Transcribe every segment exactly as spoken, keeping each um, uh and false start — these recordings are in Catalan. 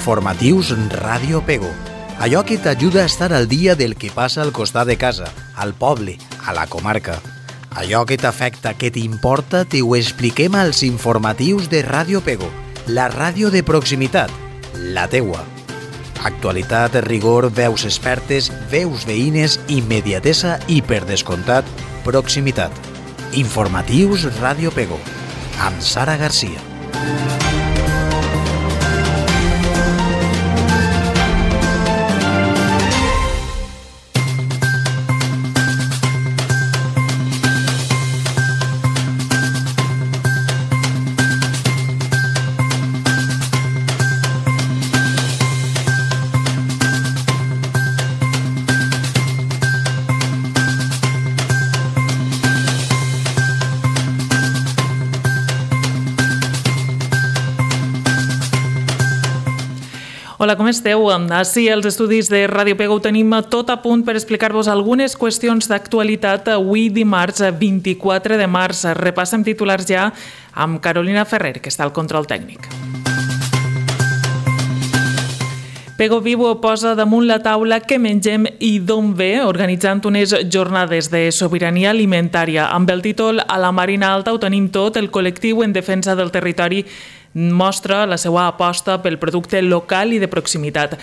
Informatius Ràdio Pego. Allò que t'ajuda a estar al dia del que passa al costat de casa, al poble, a la comarca. Allò que t'afecta, que t'importa, t'ho expliquem als informatius de Ràdio Pego, la ràdio de proximitat, la teua. Actualitat, rigor, veus expertes, veus veïnes, immediatesa i, per descomptat, proximitat. Informatius Ràdio Pego, amb Sara Garcia. Hola, com esteu? Així, als estudis de Ràdio Pego ho tenim tot a punt per explicar-vos algunes qüestions d'actualitat avui dimarts vint-i-quatre de març. Repassem titulars ja amb Carolina Ferrer, que està al control tècnic. Pego Viu posa damunt la taula què mengem i d'on ve, organitzant unes jornades de sobirania alimentària. Amb el títol A la Marina Alta ho tenim tot, el col·lectiu en defensa del territori mostra la seva aposta pel producte local i de proximitat.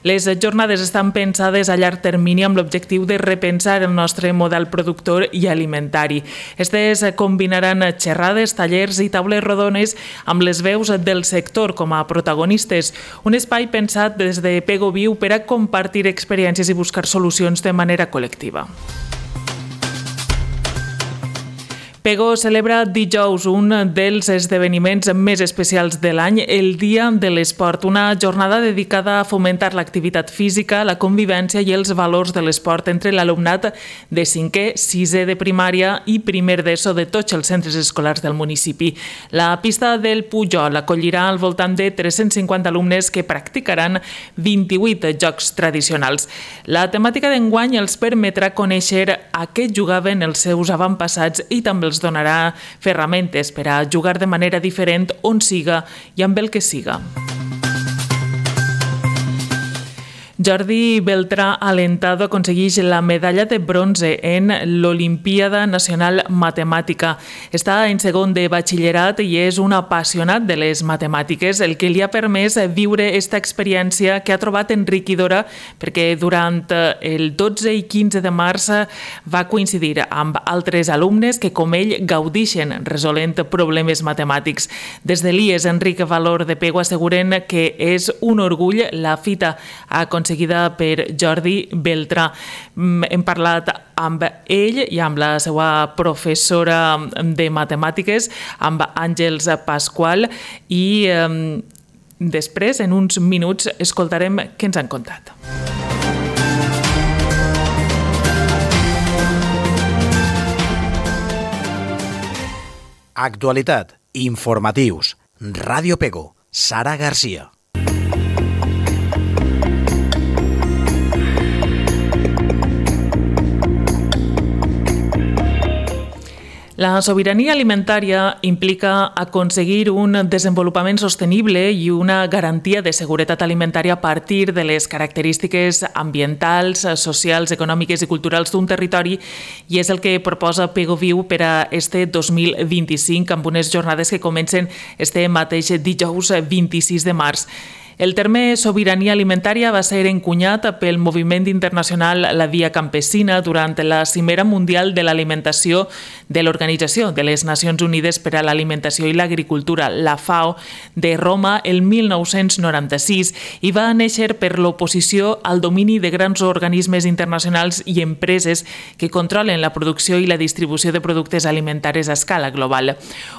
Les jornades estan pensades a llarg termini amb l'objectiu de repensar el nostre model productor i alimentari. Estes combinaran xerrades, tallers i taules rodones amb les veus del sector com a protagonistes. Un espai pensat des de Pego Viu per a compartir experiències i buscar solucions de manera col·lectiva. Pego celebra dijous un dels esdeveniments més especials de l'any, el Dia de l'Esport, una jornada dedicada a fomentar l'activitat física, la convivència i els valors de l'esport entre l'alumnat de cinquè, sisè de primària i primer d'ESO de tots els centres escolars del municipi. La pista del Pujol acollirà al voltant de tres-cents cinquanta alumnes que practicaran vint-i-vuit jocs tradicionals. La temàtica d'enguany els permetrà conèixer a què jugaven els seus avantpassats i també els donarà ferramentes per a jugar de manera diferent on siga i amb el que siga. Jordi Beltrà Alentado aconsegueix la medalla de bronze en l'Olimpíada Nacional Matemàtica. Està en segon de batxillerat i és un apassionat de les matemàtiques, el que li ha permès viure aquesta experiència que ha trobat enriquidora perquè durant el dotze i quinze de març va coincidir amb altres alumnes que, com ell, gaudixen resolent problemes matemàtics. Des de l'I E S Enric Valor de Pego asseguren que és un orgull la fita aconseguida seguida per Jordi Beltrà. Hem parlat amb ell i amb la seva professora de matemàtiques, amb Àngels Pasqual, i eh, després, en uns minuts, escoltarem què ens han contat. Actualitat, informatius, Ràdio Pego, Sara Garcia. La sobirania alimentària implica aconseguir un desenvolupament sostenible i una garantia de seguretat alimentària a partir de les característiques ambientals, socials, econòmiques i culturals d'un territori, i és el que proposa Pego Viu per a este dos mil vint-i-cinc amb unes jornades que comencen este mateix dijous vint-i-sis de març. El terme sobirania alimentària va ser encunyat pel moviment internacional La Via Campesina durant la Cimera Mundial de l'Alimentació de l'Organització de les Nacions Unides per a l'Alimentació i l'Agricultura, la FAO, de Roma el mil nou-cents noranta-sis i va néixer per l'oposició al domini de grans organismes internacionals i empreses que controlen la producció i la distribució de productes alimentaris a escala global.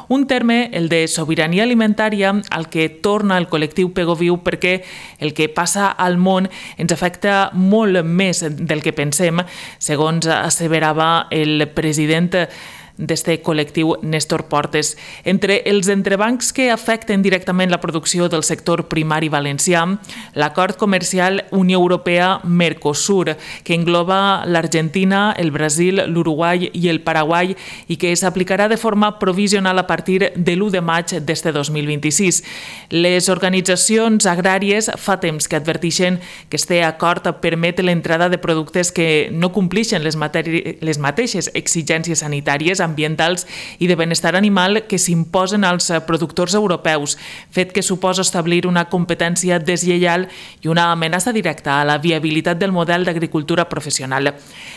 Un terme, el de sobirania alimentària, al que torna el col·lectiu Pego Viu perquè el que passa al món ens afecta molt més del que pensem, segons asseverava el president d'este col·lectiu Néstor Portes. Entre els entrebancs que afecten directament la producció del sector primari valencià, l'acord comercial Unió Europea-Mercosur, que engloba l'Argentina, el Brasil, l'Uruguai i el Paraguai i que s'aplicarà de forma provisional a partir de l'u de maig d'este dos mil vint-i-sis. Les organitzacions agràries fa temps que adverteixen que este acord permet l'entrada de productes que no complixen les, les mateixes exigències sanitàries, ambientals i de benestar animal que s'imposen als productors europeus, fet que suposa establir una competència deslleial i una amenaça directa a la viabilitat del model d'agricultura professional.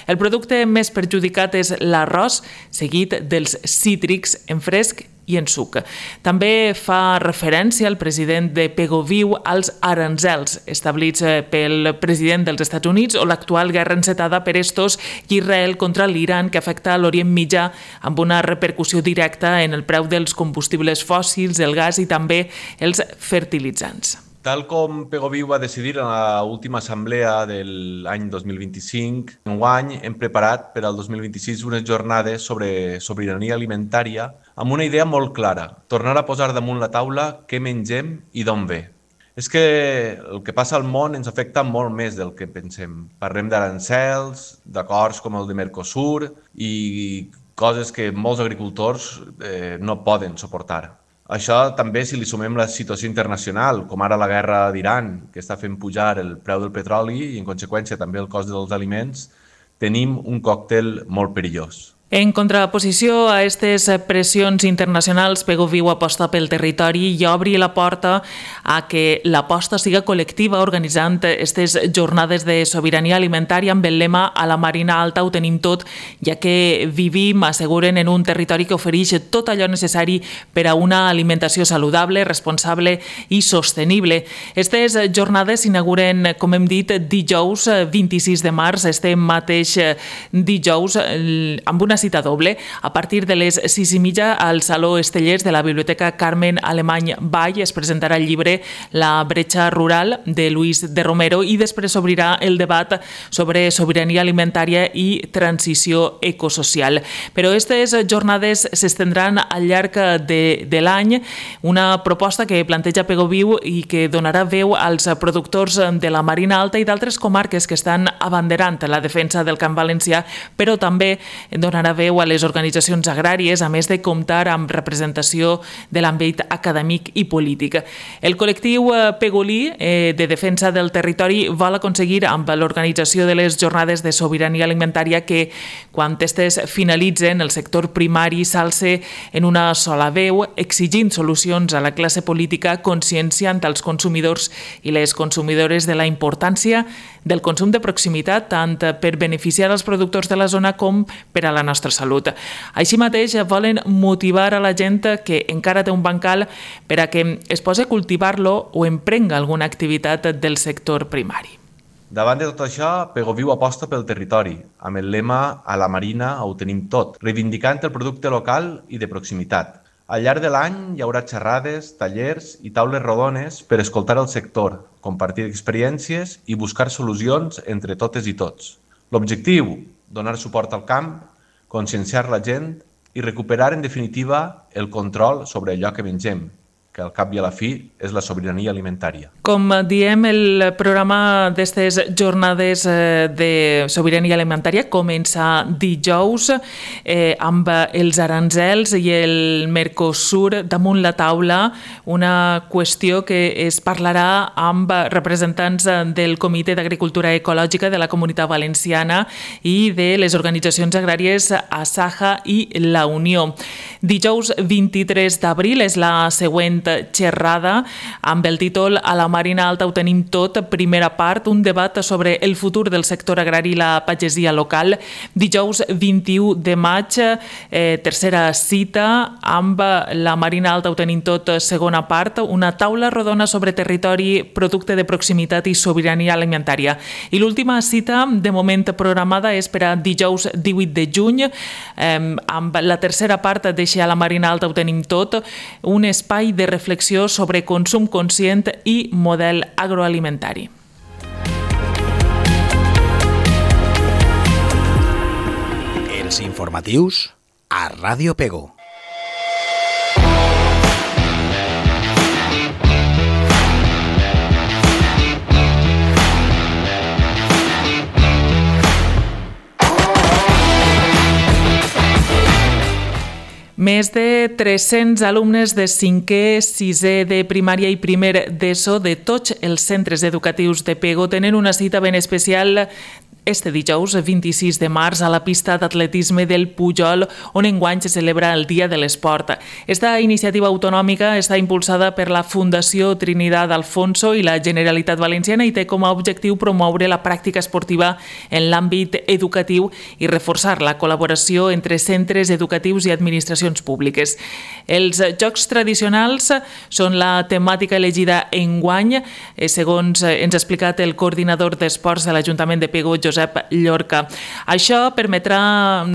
El producte més perjudicat és l'arròs, seguit dels cítrics en fresc i en suc. També fa referència el president de Pegoviu als aranzels establits pel president dels Estats Units o l'actual guerra encetada per estos i Israel contra l'Iran que afecta l'Orient Mitjà amb una repercussió directa en el preu dels combustibles fòssils, el gas i també els fertilitzants. Tal com Pegoviu va decidir en l'última assemblea de l'any dos mil vint-i-cinc, enguany hem preparat per al dos mil vint-i-sis unes jornades sobre sobirania alimentària amb una idea molt clara, tornar a posar damunt la taula què mengem i d'on ve. És que el que passa al món ens afecta molt més del que pensem. Parlem d'arancels, d'acords com el de Mercosur i coses que molts agricultors eh, no poden suportar. Això també si li sumem la situació internacional, com ara la guerra d'Iran, que està fent pujar el preu del petroli i en conseqüència també el cost dels aliments, tenim un còctel molt perillós. En contraposició a aquestes pressions internacionals, Pegoviu aposta pel territori i obri la porta a que l'aposta siga col·lectiva organitzant aquestes jornades de sobirania alimentària amb el lema "A la Marina Alta ho tenim tot", ja que vivim, asseguren, en un territori que ofereix tot allò necessari per a una alimentació saludable, responsable i sostenible. Aquestes jornades s'inauguren, com hem dit, dijous vint-i-sis de març, este mateix dijous, amb una cita doble, a partir de les sis i mitja al Saló Estellers de la Biblioteca Carmen Alemany Vall es presentarà el llibre La bretxa rural de Luis de Romero i després s'obrirà el debat sobre sobirania alimentària i transició ecosocial. Però aquestes jornades s'estendran al llarg de, de l'any, una proposta que planteja Pegoviu i que donarà veu als productors de la Marina Alta i d'altres comarques que estan abanderant la defensa del camp valencià, però també donarà veu a les organitzacions agràries, a més de comptar amb representació de l'àmbit acadèmic i polític. El col·lectiu Pegolí eh, de defensa del territori vol aconseguir amb l'organització de les jornades de sobirania alimentària que, quan aquestes finalitzen, el sector primari s'alce en una sola veu, exigint solucions a la classe política, conscienciant als consumidors i les consumidores de la importància del consum de proximitat, tant per beneficiar els productors de la zona com per a la nostra salut. Així mateix, volen motivar a la gent que encara té un bancal per a que es posi a cultivar-lo o emprenga alguna activitat del sector primari. Davant de tot això, Pegoviu aposta pel territori, amb el lema "A la Marina ho tenim tot", reivindicant el producte local i de proximitat. Al llarg de l'any hi haurà xerrades, tallers i taules rodones per escoltar el sector, compartir experiències i buscar solucions entre totes i tots. L'objectiu, donar suport al camp, conscienciar la gent i recuperar, en definitiva, el control sobre allò que mengem, que al cap i a la fi és la sobirania alimentària. Com diem, el programa d'aquestes jornades de sobirania alimentària comença dijous eh, amb els aranzels i el Mercosur damunt la taula, una qüestió que es parlarà amb representants del Comitè d'Agricultura Ecològica de la Comunitat Valenciana i de les organitzacions agràries Asaja i la Unió. Dijous vint-i-tres d'abril és la següent xerrada amb el títol "A la Marina Alta ho tenim tot", primera part, un debat sobre el futur del sector agrari i la pagesia local. Dijous vint-i-u de maig, eh, tercera cita amb La Marina Alta ho tenim tot, segona part, una taula rodona sobre territori, producte de proximitat i sobirania alimentària. I l'última cita, de moment programada, és per a dijous divuit de juny, eh, amb la tercera part d'Eixe A la Marina Alta ho tenim tot, un espai de reflexió sobre consum conscient i model agroalimentari. Els informatius a Ràdio Pego. Més de tres-cents alumnes de cinquè, sisè de primària i primer d'ESO de tots els centres educatius de Pego tenen una cita ben especial este dijous, vint-i-sis de març, a la pista d'atletisme del Pujol, on enguany se celebra el Dia de l'Esport. Esta iniciativa autonòmica està impulsada per la Fundació Trinidad Alfonso i la Generalitat Valenciana i té com a objectiu promoure la pràctica esportiva en l'àmbit educatiu i reforçar la col·laboració entre centres educatius i administracions públiques. Els jocs tradicionals són la temàtica elegida enguany, segons ens ha explicat el coordinador d'esports de l'Ajuntament de Pego, Josep Llorca. Això permetrà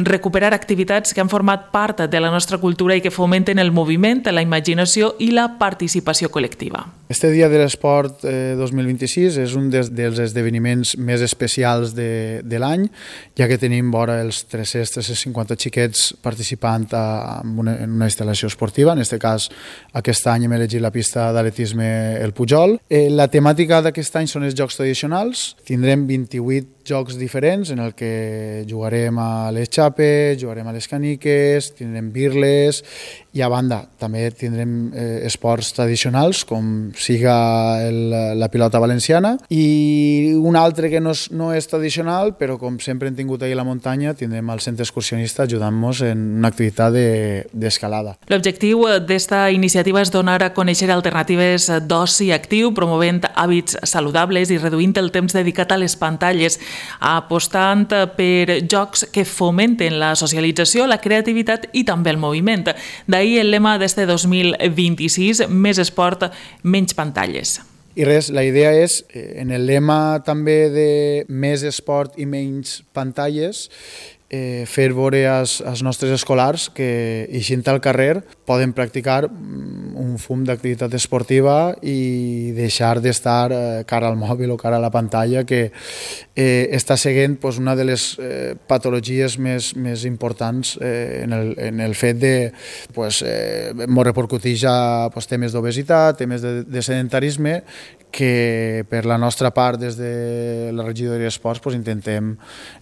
recuperar activitats que han format part de la nostra cultura i que fomenten el moviment, la imaginació i la participació col·lectiva. Este Dia de l'Esport eh, dos mil vint-i-sis és un des, dels esdeveniments més especials de, de l'any, ja que tenim vora els tres-cents a tres cents cinquanta xiquets participant a, en, una, en una instal·lació esportiva. En aquest cas, aquest any hem elegit la pista d'atletisme El Pujol. Eh, la temàtica d'aquest any són els jocs tradicionals. Tindrem vint-i-vuit jocs diferents en el que jugarem a les xapes, jugarem a les caniques, tindrem birles i a banda també tindrem eh, esports tradicionals com siga el, la pilota valenciana i un altre que no és, no és tradicional però com sempre hem tingut ahir a la muntanya tindrem el centre excursionista ajudant-nos en una activitat d'escalada. De, L'objectiu d'esta iniciativa és donar a conèixer alternatives d'oci actiu, promovent hàbits saludables i reduint el temps dedicat a les pantalles, apostant per jocs que fomenten la socialització, la creativitat i també el moviment. D'ahir el lema d'este dos mil vint-i-sis, més esport, menys pantalles. I res, la idea és, en el lema també de més esport i menys pantalles, eh, fer veure als, als nostres escolars que, eixint al carrer, poden practicar un fum d'activitat esportiva i deixar d'estar eh, cara al mòbil o cara a la pantalla, que eh, està seguint pues, una de les eh, patologies més, més importants eh, en, el, en el fet de pues, eh, molt repercuteix a pues, temes d'obesitat, temes de, de sedentarisme, que per la nostra part des de la regidoria d'Esports pues, intentem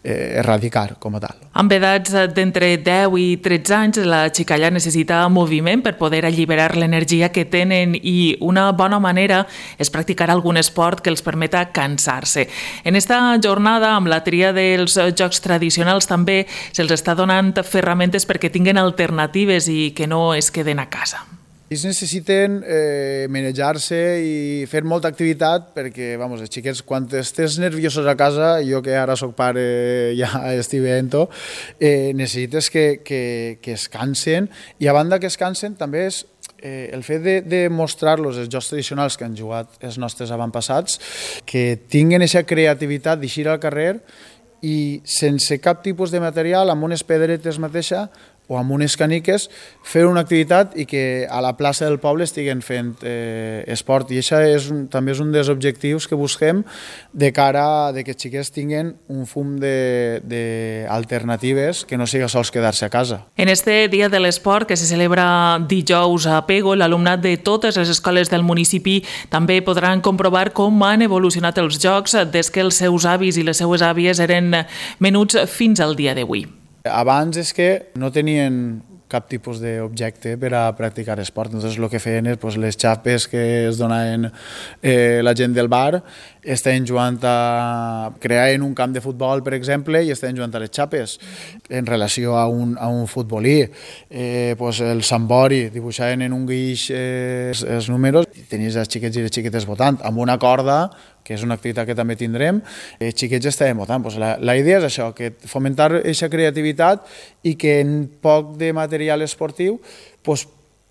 eh, erradicar com a tal. Amb edats d'entre deu i tretze anys, la xicalla necessita moviment per poder alliberar l'energia que tenen i una bona manera és practicar algun esport que els permeta cansar-se. En esta jornada, amb la tria dels jocs tradicionals, també se'ls està donant ferramentes perquè tinguen alternatives i que no es queden a casa. Ells necessiten eh, manejar-se i fer molta activitat perquè, vamos, els xiquets, quan estàs nerviosos a casa, jo que ara soc pare ja estic veient-ho, eh, necessites que, que, que es cansen i a banda que es cansen també és eh, el fet de, de mostrar-los els jocs tradicionals que han jugat els nostres avantpassats, que tinguen aquesta creativitat d'eixir al carrer i sense cap tipus de material, amb unes pedretes mateixa, o amb unes caniques, fer una activitat i que a la plaça del poble estiguen fent eh, esport. I això és un, també és un dels objectius que busquem de cara a que els xiquets tinguin un fum d'alternatives que no siga sols quedar-se a casa. En este Dia de l'Esport, que se celebra dijous a Pego, l'alumnat de totes les escoles del municipi també podran comprovar com han evolucionat els jocs des que els seus avis i les seues àvies eren menuts fins al dia d'avui. Abans és que no tenien cap tipus d'objecte per a practicar esport. Entonces, el que feien és pues, les xapes que es donaven eh, la gent del bar, estaven jugant a... creaven un camp de futbol, per exemple, i estaven jugant a les xapes en relació a un, a un futbolí. Eh, pues, el sambori, dibuixaven en un guix eh, els, els números, i tenies els xiquets i les xiquetes votant amb una corda, que és una activitat que també tindrem, els xiquets estaven votant. Pues la, la idea és això, que fomentar aquesta creativitat i que en poc de material esportiu pues,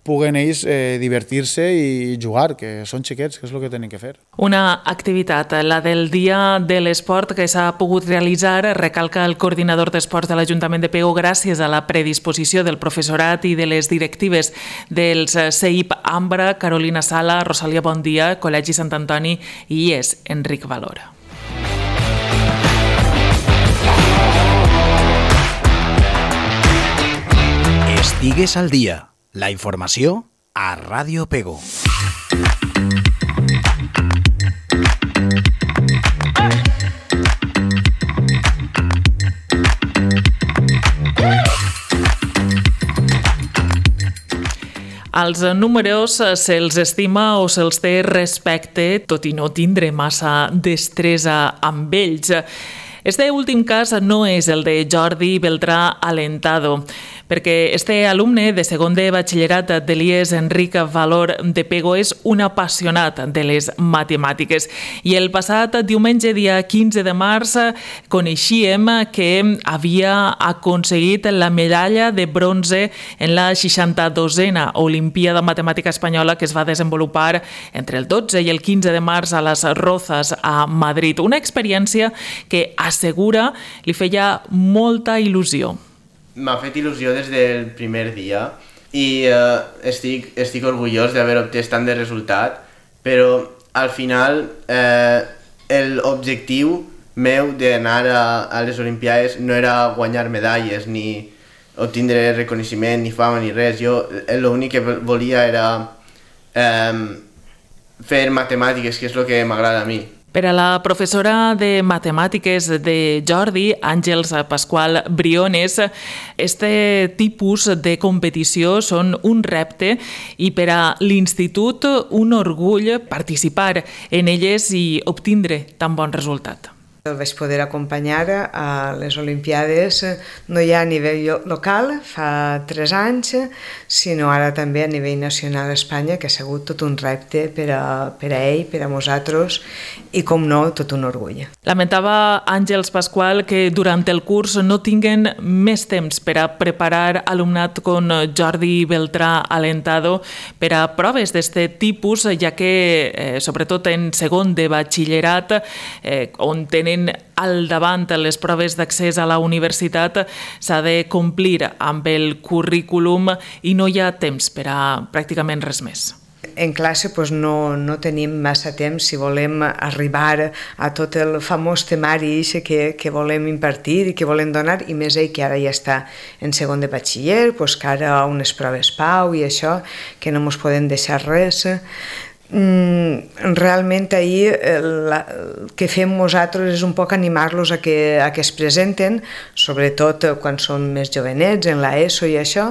puguen ells eh, divertir-se i jugar, que són xiquets, que és el que tenen que fer. Una activitat, la del Dia de l'Esport, que s'ha pogut realitzar, recalca el coordinador d'esports de l'Ajuntament de Pego, gràcies a la predisposició del professorat i de les directives dels C I P Ambra, Carolina Sala, Rosalia Bondia, Col·legi Sant Antoni i és Enric Valora. Estigues al dia. La informació a Ràdio Pego. Als números se'ls estima o se'ls té respecte, tot i no tindre massa destresa amb ells. Este últim cas no és el de Jordi Beltrà Alentado, perquè este alumne de segon de batxillerat de l'I E S Enric Valor de Pego és un apassionat de les matemàtiques i el passat diumenge, dia quinze de març, coneixíem que havia aconseguit la medalla de bronze en la seixanta-dosena Olimpíada Matemàtica Espanyola que es va desenvolupar entre el dotze i el quinze de març a les Rozas, a Madrid. Una experiència que assegura li feia molta il·lusió. M'ha fet il·lusió des del primer dia i eh, estic, estic orgullós d'haver obtès tant de resultat, però al final eh, l'objectiu meu d'anar a, a les Olimpiades no era guanyar medalles ni obtindre reconeixement ni fama ni res. Jo l'únic que volia era eh, fer matemàtiques, que és el que m'agrada a mi. Per a la professora de matemàtiques de Jordi, Àngels Pasqual Briones, este tipus de competició són un repte i per a l'institut un orgull participar en elles i obtindre tan bon resultat. El vaig poder acompanyar a les Olimpiades, no ja a nivell local, fa tres anys, sinó ara també a nivell nacional a Espanya, que ha sigut tot un repte per a, per a ell, per a nosaltres, i com no, tot un orgull. Lamentava Àngels Pasqual que durant el curs no tinguen més temps per a preparar alumnat com Jordi Beltrà Alentado per a proves d'este tipus, ja que, eh, sobretot en segon de batxillerat, eh, on tenen al davant les proves d'accés a la universitat, s'ha de complir amb el currículum i no hi ha temps per a pràcticament res més. En classe doncs, no, no tenim massa temps si volem arribar a tot el famós temari que, que volem impartir i que volem donar, i més ell que ara ja està en segon de batxiller, doncs, que ara unes proves pau i això, que no ens podem deixar res. Mm, realment ahir el, el que fem nosaltres és un poc animar-los a que, a que es presenten, sobretot quan són més jovenets, en l'ESO i això,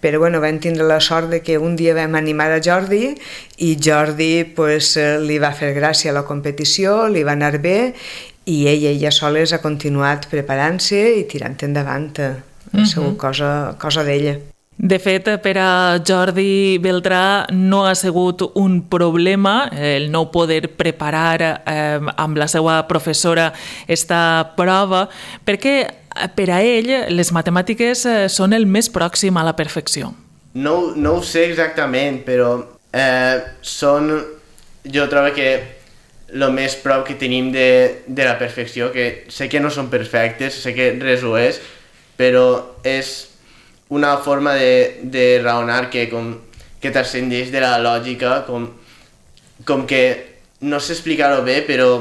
però bueno, vam tindre la sort de que un dia vam animar a Jordi i Jordi pues, li va fer gràcia a la competició, li va anar bé i ell, ella soles ha continuat preparant-se i tirant endavant. Ha sigut cosa, cosa d'ella. De fet, per a Jordi Beltrà no ha sigut un problema el no poder preparar eh, amb la seva professora esta prova, perquè per a ell les matemàtiques són el més pròxim a la perfecció. No, no ho sé exactament, però eh, són, jo trobo que el més prop que tenim de, de la perfecció, que sé que no són perfectes, sé que res ho és, però és una forma de, de raonar que, com, que t'ascendeix de la lògica, com, com que no sé explicar-ho bé, però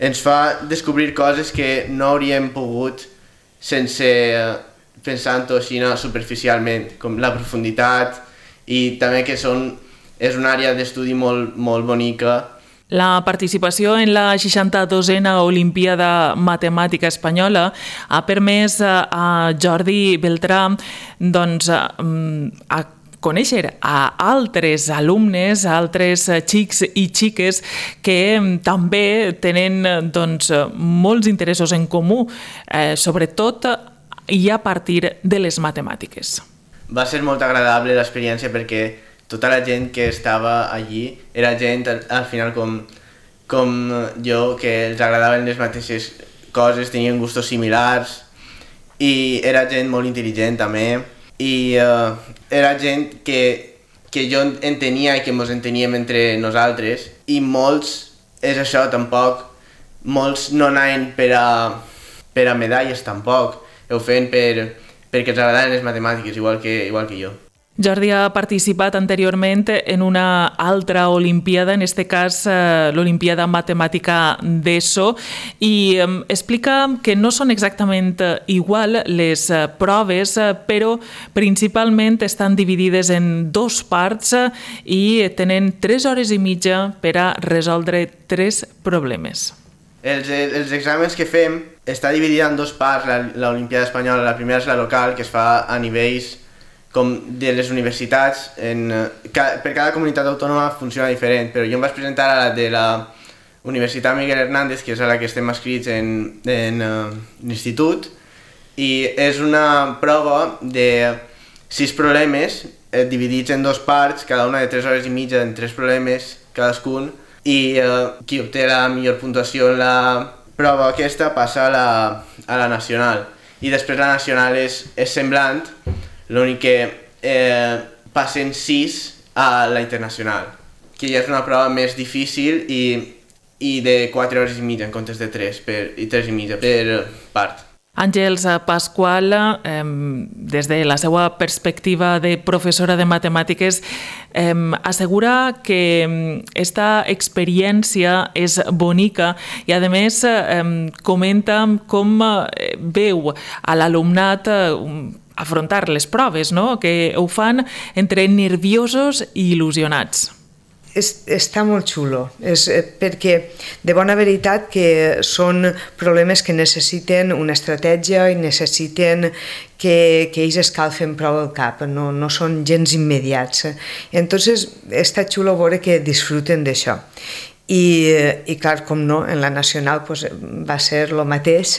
ens fa descobrir coses que no hauríem pogut sense pensant-ho així superficialment, com la profunditat i també que són, és una àrea d'estudi molt, molt bonica. La participació en la seixanta-dosena Olimpíada Matemàtica Espanyola ha permès a Jordi Beltrà doncs, a conèixer a altres alumnes, a altres xics i xiques que també tenen doncs, molts interessos en comú, eh, sobretot i a partir de les matemàtiques. Va ser molt agradable l'experiència perquè tota la gent que estava allí era gent al final com, com jo, que els agradaven les mateixes coses, tenien gustos similars i era gent molt intel·ligent també i uh, era gent que, que jo entenia i que ens enteníem entre nosaltres i molts, és això tampoc, molts no anaven per a, per a medalles tampoc, ho feien per, perquè els agradaven les matemàtiques igual que, igual que jo. Jordi ha participat anteriorment en una altra olimpiada, en aquest cas eh, l'Olimpiada Matemàtica d'ESO, i eh, explica que no són exactament igual les eh, proves, eh, però principalment estan dividides en dos parts eh, i tenen tres hores i mitja per a resoldre tres problemes. Els, els exàmens que fem està dividida en dos parts, l'Olimpiada Espanyola. La primera és la local, que es fa a nivells com de les universitats. En, ca, per cada comunitat autònoma funciona diferent, però jo em vaig presentar a la de la Universitat Miguel Hernández, que és a la que estem escrits en, en uh, l'institut, i és una prova de sis problemes eh, dividits en dos parts, cada una de tres hores i mitja en tres problemes cadascun, i eh, qui obté la millor puntuació en la prova aquesta passa a la, a la nacional. I després la nacional és, és semblant, l'únic que eh, passen sis a la internacional, que ja és una prova més difícil i, i de quatre hores i mitja en comptes de tres, per, i tres i mitja per part. Àngels Pasqual, eh, des de la seva perspectiva de professora de matemàtiques, eh, assegura que esta experiència és bonica i, a més, eh, comenta com veu a l'alumnat eh, afrontar les proves, no? Que ho fan entre nerviosos i il·lusionats. És, està molt xulo, és perquè de bona veritat que són problemes que necessiten una estratègia i necessiten que, que ells escalfen prou el cap, no, no són gens immediats. Entonces està xulo veure que disfruten d'això. I, i clar, com no, en la nacional pues, va ser el mateix,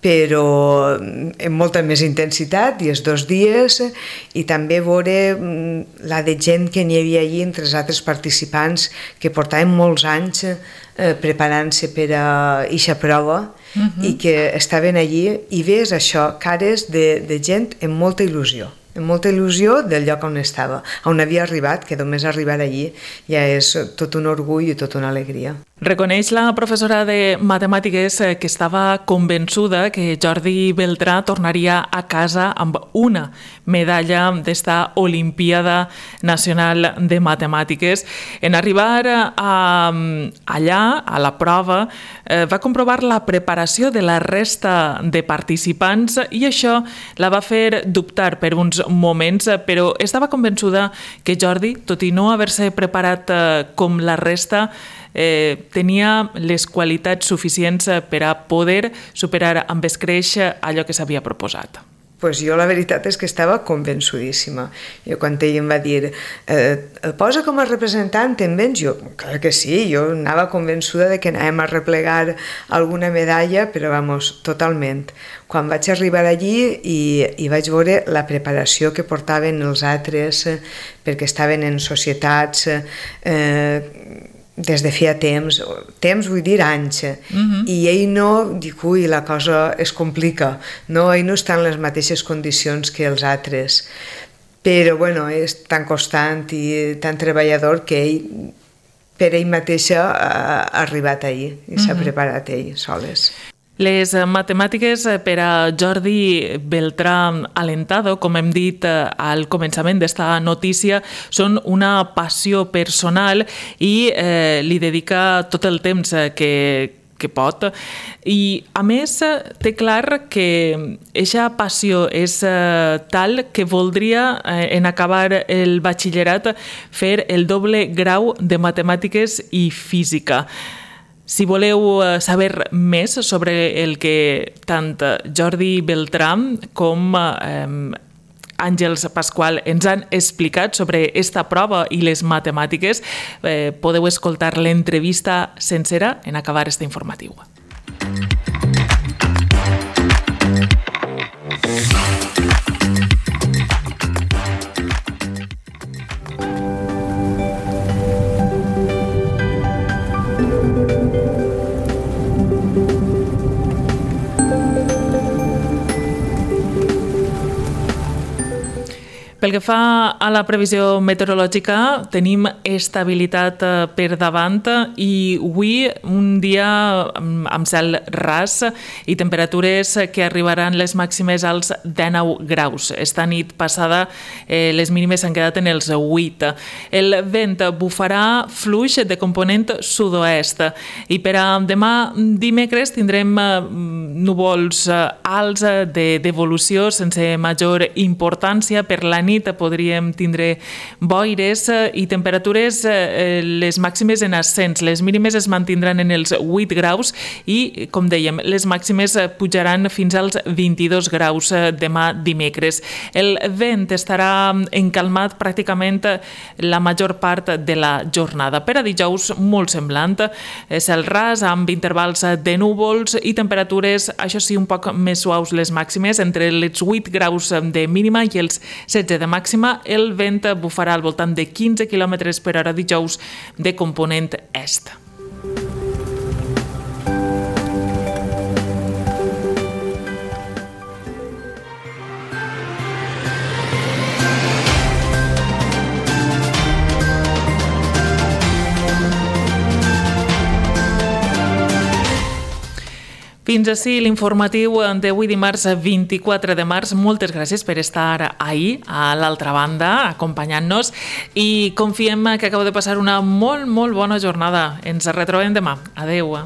però amb molta més intensitat i els dos dies, i també veure la de gent que n'hi havia allí entre els altres participants que portaven molts anys eh, preparant-se per a eixa prova uh-huh. i que estaven allí i ves això, cares de, de gent amb molta il·lusió. amb molta il·lusió del lloc on estava, on havia arribat, que només arribar allí ja és tot un orgull i tota una alegria. Reconeix la professora de matemàtiques que estava convençuda que Jordi Beltrà tornaria a casa amb una medalla d'esta Olimpiada Nacional de Matemàtiques. En arribar a, allà, a la prova, eh, va comprovar la preparació de la resta de participants i això la va fer dubtar per uns moments, però estava convençuda que Jordi, tot i no haver-se preparat eh, com la resta, Eh, tenia les qualitats suficients per a poder superar amb escreix allò que s'havia proposat. Pues jo la veritat és que estava convençudíssima. Jo quan ell em va dir eh, el posa com a representant, en vens? Jo, clar que sí, jo anava convençuda de que anàvem a replegar alguna medalla, però vamos, totalment. Quan vaig arribar allí i, i vaig veure la preparació que portaven els altres, eh, perquè estaven en societats eh, des de feia temps, temps vull dir anys, uh-huh. i ell no, dic, ui, la cosa es complica, no, ell no està en les mateixes condicions que els altres, però bueno, és tan constant i tan treballador que ell, per ell mateixa, ha arribat ahir i uh-huh. s'ha preparat ell soles. Les matemàtiques per a Jordi Beltrà Alentado, com hem dit al començament d'esta notícia, són una passió personal i eh, li dedica tot el temps que, que pot. I, a més, té clar que eixa passió és eh, tal que voldria, eh, en acabar el batxillerat, fer el doble grau de matemàtiques i física. Si voleu saber més sobre el que tant Jordi Beltrà com eh, Àngels Pasqual ens han explicat sobre esta prova i les matemàtiques, eh, podeu escoltar l'entrevista sencera en acabar este informatiu. Pel que fa a la previsió meteorològica, tenim estabilitat per davant i avui un dia amb cel ras i temperatures que arribaran les màximes als dinou graus. Esta nit passada eh, les mínimes s'han quedat en els vuit. El vent bufarà fluix de component sud-oest i per a demà dimecres tindrem núvols alts d'evolució sense major importància. Per la nit podríem tindre boires i temperatures les màximes en ascens. Les mínimes es mantindran en els vuit graus i, com dèiem, les màximes pujaran fins als vint-i-dos graus demà dimecres. El vent estarà encalmat pràcticament la major part de la jornada. Per a dijous, molt semblant, cel ras amb intervals de núvols i temperatures, això sí, un poc més suaus les màximes, entre els vuit graus de mínima i els setze de màxima. El vent bufarà al voltant de quinze quilòmetres per hora dijous de component est. Fins així l'informatiu d'avui dimarts vint-i-quatre de març. Moltes gràcies per estar ahir a l'altra banda acompanyant-nos i confiem que acabeu de passar una molt, molt bona jornada. Ens retrobem demà. Adeu.